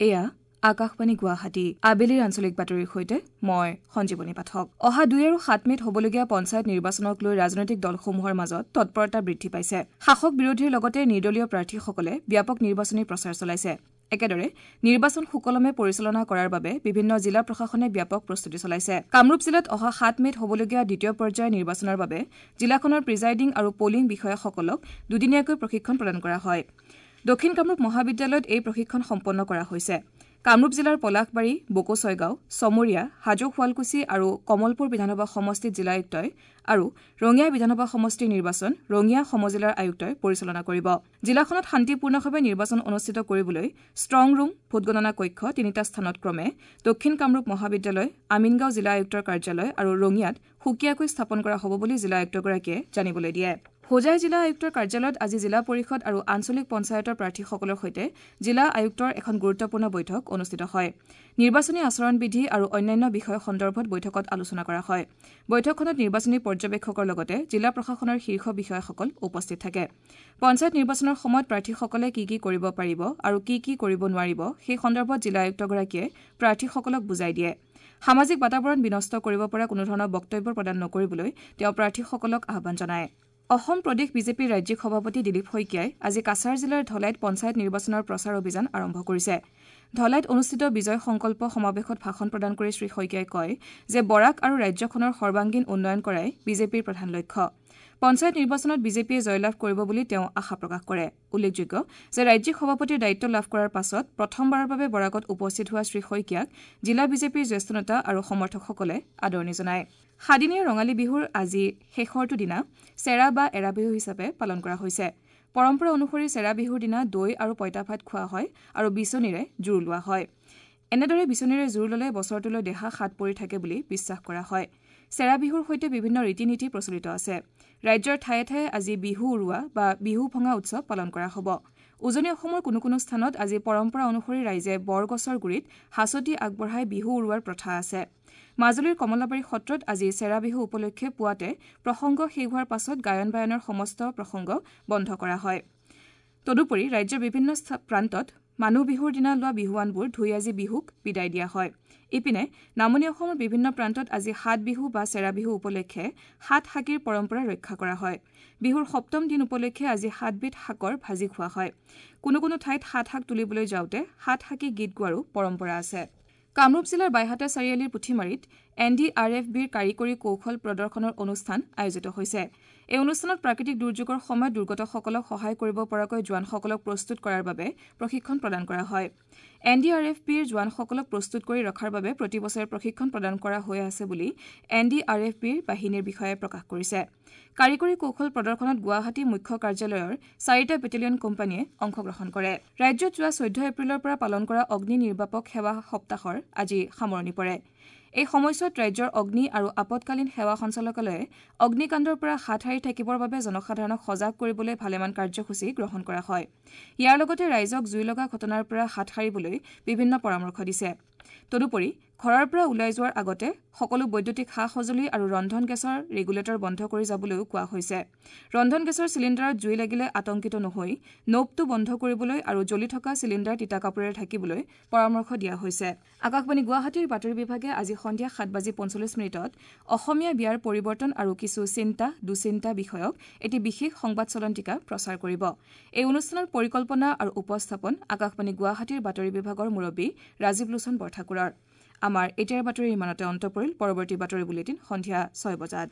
এয়া আকাশবাণী গুৱাহাটী। আবেলিৰ আঞ্চলিক বাতৰিৰ সৈতে মই সঞ্জীৱনী পাঠক। অহা 2 আৰু 7 মে'ত হ'বলগীয়া পঞ্চায়ত নিৰ্বাচনক লৈ ৰাজনৈতিক দলসমূহৰ মাজত তৎপৰতা বৃদ্ধি পাইছে। শাসক বিৰোধীৰ লগতে নিৰ্দলীয় প্ৰাৰ্থীসকলে ব্যাপক নিৰ্বাচনী প্ৰচাৰ চলাইছে। একেদৰে নিৰ্বাচন সুকলমে পৰিচালনা কৰাৰ বাবে বিভিন্ন জিলা প্ৰশাসনে ব্যাপক প্ৰস্তুতি চলাইছে। কামৰূপ জিলাত অহা 7 মে'ত হ'বলগীয়া দ্বিতীয় পৰ্যায়ৰ নিৰ্বাচনৰ বাবে জিলাখনৰ প্ৰিজাইডিং আৰু পলিং বিষয়াসকলক দুদিনীয়াকৈ প্ৰশিক্ষণ প্ৰদান কৰা হয়। দক্ষিণ কামৰূপ মহাবিদ্যালয়ত এই প্ৰশিক্ষণ সম্পন্ন কৰা হৈছে। কামৰূপ জিলাৰ পলাশবাৰী, বকো ছয়গাঁও, চমৰীয়া, হাজো শুৱালকুছি আৰু কমলপুৰ বিধানসভা সমষ্টিত জিলা আয়ুক্তই আৰু ৰঙিয়া বিধানসভা সমষ্টিৰ নিৰ্বাচন ৰঙিয়া সমজিলাৰ আয়ুক্তই পৰিচালনা কৰিব। জিলাখনত শান্তিপূৰ্ণভাৱে নিৰ্বাচন অনুষ্ঠিত কৰিবলৈ ষ্ট্ৰং ৰুম, ভোটগণনা কক্ষ তিনিটা স্থানত ক্ৰমে দক্ষিণ কামৰূপ মহাবিদ্যালয়, আমিনগাঁও জিলা আয়ুক্তৰ কাৰ্যালয় আৰু ৰঙিয়াত সুকীয়াকৈ স্থাপন কৰা হ'ব বুলি জিলা আয়ুক্তগৰাকীয়ে জানিবলৈ দিয়ে। হোজাই জিলা আয়ুক্তৰ কাৰ্যালয়ত আজি জিলা পৰিষদ আৰু আঞ্চলিক পঞ্চায়তৰ প্ৰাৰ্থীসকলৰ সৈতে জিলা আয়ুক্তৰ এখন গুৰুত্বপূৰ্ণ বৈঠক অনুষ্ঠিত হয়। নিৰ্বাচনী আচৰণবিধি আৰু অন্যান্য বিষয় সন্দৰ্ভত বৈঠকত আলোচনা কৰা হয়। বৈঠকখনত নিৰ্বাচনী পৰ্যবেক্ষকৰ লগতে জিলা প্ৰশাসনৰ শীৰ্ষ বিষয়াসকল উপস্থিত থাকে। পঞ্চায়ত নিৰ্বাচনৰ সময়ত প্ৰাৰ্থীসকলে কি কি কৰিব পাৰিব আৰু কি কি কৰিব নোৱাৰিব সেই সন্দৰ্ভত জিলা আয়ুক্তগৰাকীয়ে প্ৰাৰ্থীসকলক বুজাই দিয়ে। সামাজিক বাতাবৰণ বিনষ্ট কৰিব পৰা কোনোধৰণৰ বক্তব্য প্ৰদান নকৰিবলৈ তেওঁ প্ৰাৰ্থীসকলক আহ্বান জনায়। অসম প্ৰদেশ বিজেপিৰ ৰাজ্যিক সভাপতি দিলীপ শইকীয়াই আজি কাছাৰ জিলাৰ ধলাইত পঞ্চায়ত নিৰ্বাচনৰ প্ৰচাৰ অভিযান আৰম্ভ কৰিছে। ধলাইত অনুষ্ঠিত বিজয় সংকল্প সমাৱেশত ভাষণ প্ৰদান কৰি শ্ৰী শইকীয়াই কয় যে বৰাক আৰু ৰাজ্যখনৰ সৰ্বাংগীন উন্নয়ন কৰাই বিজেপিৰ প্ৰধান লক্ষ্য। পঞ্চায়ত নিৰ্বাচনত বিজেপিয়ে জয়লাভ কৰিব বুলি তেওঁ আশা প্ৰকাশ কৰে। উল্লেখযোগ্য যে ৰাজ্যিক সভাপতিৰ দায়িত্ব লাভ কৰাৰ পাছত প্ৰথমবাৰৰ বাবে বৰাকত উপস্থিত হোৱা শ্ৰী শইকীয়াক জিলা বিজেপিৰ জ্যেষ্ঠ নেতা আৰু সমৰ্থকসকলে আদৰণি জনায়। সাদিনীয়া ৰঙালী বিহুৰ আজি শেষৰটো দিনা চেৰা বা এৰা বিহু হিচাপে পালন কৰা হৈছে। পৰম্পৰা অনুসৰি চেৰা বিহুৰ দিনা দৈ আৰু পঁইতা ভাত খোৱা হয় আৰু বিচনীৰে জোৰ লোৱা হয়। এনেদৰে বিচনীৰে জোৰ ল'লে বছৰটোলৈ দেহা সাত পৰি থাকে বুলি বিশ্বাস কৰা হয়। চেৰা বিহুৰ সৈতে বিভিন্ন ৰীতি নীতি প্ৰচলিত আছে। ৰাজ্যৰ ঠায়ে ঠায়ে আজি বিহু উৰুৱা বা বিহু ভঙা উৎসৱ পালন কৰা হ'ব। উজনি অসমৰ কোনো কোনো স্থানত আজি পৰম্পৰা অনুসৰি ৰাইজে বৰগছৰ গুৰিত হাঁচতি আগবঢ়াই বিহু উৰুৱাৰ প্ৰথা আছে। মাজুলীৰ কমলাবাৰী সত্ৰত আজি চেৰা বিহু উপলক্ষে পুৱাতে প্ৰসংগ শেষ হোৱাৰ পাছত গায়ন বায়নৰ সমস্ত প্ৰসংগ বন্ধ কৰা হয়। তদুপৰি ৰাজ্যৰ বিভিন্ন প্ৰান্তত মানুহ বিহুৰ দিনা লোৱা বিহুৱানবোৰ ধুই আজি বিহুক বিদায় দিয়া হয়। ইপিনে নামনি অসমৰ বিভিন্ন প্ৰান্তত আজি সাত বিহু বা চেৰা বিহু উপলক্ষে সাত শাকীৰ পৰম্পৰা ৰক্ষা কৰা হয়। বিহুৰ সপ্তম দিন উপলক্ষে আজি সাতবিধ শাকৰ ভাজি খোৱা হয়। কোনো কোনো ঠাইত সাত শাক তুলিবলৈ যাওঁতে সাত শাকী গীত গোৱাৰো পৰম্পৰা আছে। কামৰূপ জিলাৰ বাইহাটা চাৰিআলিৰ পুথিমাৰীত এন ডি আৰ এফ বিৰ কাৰিকৰী কৌশল প্ৰদৰ্শনৰ অনুষ্ঠান আয়োজিত হৈছে। এই অনুষ্ঠানত প্ৰাকৃতিক দুৰ্যোগৰ সময়ত দুৰ্গতসকলক সহায় কৰিব পৰাকৈ জোৱানসকলক প্ৰস্তুত কৰাৰ বাবে প্ৰশিক্ষণ প্ৰদান কৰা হয়। এন ডি আৰ এফ বিৰ জোৱানসকলক প্ৰস্তুত কৰি ৰখাৰ বাবে প্ৰতি বছৰে প্ৰশিক্ষণ প্ৰদান কৰা হৈ আছে বুলি এন ডি আৰ এফ বিৰ বাহিনীৰ বিষয়াই প্ৰকাশ কৰিছে। কাৰিকৰী কৌশল প্ৰদৰ্শনত গুৱাহাটী মুখ্য কাৰ্যালয়ৰ 4টা বেটেলিয়ন কোম্পানীয়ে অংশগ্ৰহণ কৰে। ৰাজ্যত যোৱা 14 এপ্ৰিলৰ পৰা পালন কৰা অগ্নি নিৰ্বাপক সেৱা সপ্তাহৰ আজি সামৰণি পৰে। এই সময়ছোৱাত ৰাজ্যৰ অগ্নি আৰু আপদকালীন সেৱা সঞ্চালকালয়ে অগ্নিকাণ্ডৰ পৰা হাত সাৰি থাকিবৰ বাবে জনসাধাৰণক সজাগ কৰিবলৈ ভালেমান কাৰ্যসূচী গ্ৰহণ কৰা হয়। ইয়াৰ লগতে ৰাইজক জুই লগা ঘটনাৰ পৰা হাত সাৰিবলৈ বিভিন্ন পৰামৰ্শ দিছে। তদুপৰি ঘৰৰ পৰা ওলাই যোৱাৰ আগতে সকলো বৈদ্যুতিক সা সঁজুলি আৰু ৰন্ধন গেছৰ ৰেগুলেটৰ বন্ধ কৰি যাবলৈও কোৱা হৈছে। ৰন্ধন গেছৰ চিলিণ্ডাৰত জুই লাগিলে আতংকিত নহৈ নবটো বন্ধ কৰিবলৈ আৰু জ্বলি থকা চিলিণ্ডাৰ তিতা কাপোৰেৰে ঢাকিবলৈ পৰামৰ্শ দিয়া হৈছে। আকাশবাণী গুৱাহাটীৰ বাতৰি বিভাগে আজি সন্ধিয়া 7:45 অসমীয়া বিয়াৰ পৰিৱৰ্তন আৰু কিছু চিন্তা দুচিন্তা বিষয়ক এটি বিশেষ সংবাদ চলন্তিকা প্ৰচাৰ কৰিব। এই অনুষ্ঠানৰ পৰিকল্পনা আৰু উপস্থাপন আকাশবাণী গুৱাহাটীৰ বাতৰি বিভাগৰ মুৰব্বী ৰাজীৱ লোচন বৰঠাকুৰৰ। আমাৰ এতিয়াৰ বাতৰি ইমানতে অন্ত পৰিল। পৰৱৰ্তী বাতৰি বুলেটিন সন্ধিয়া 6 বজাত।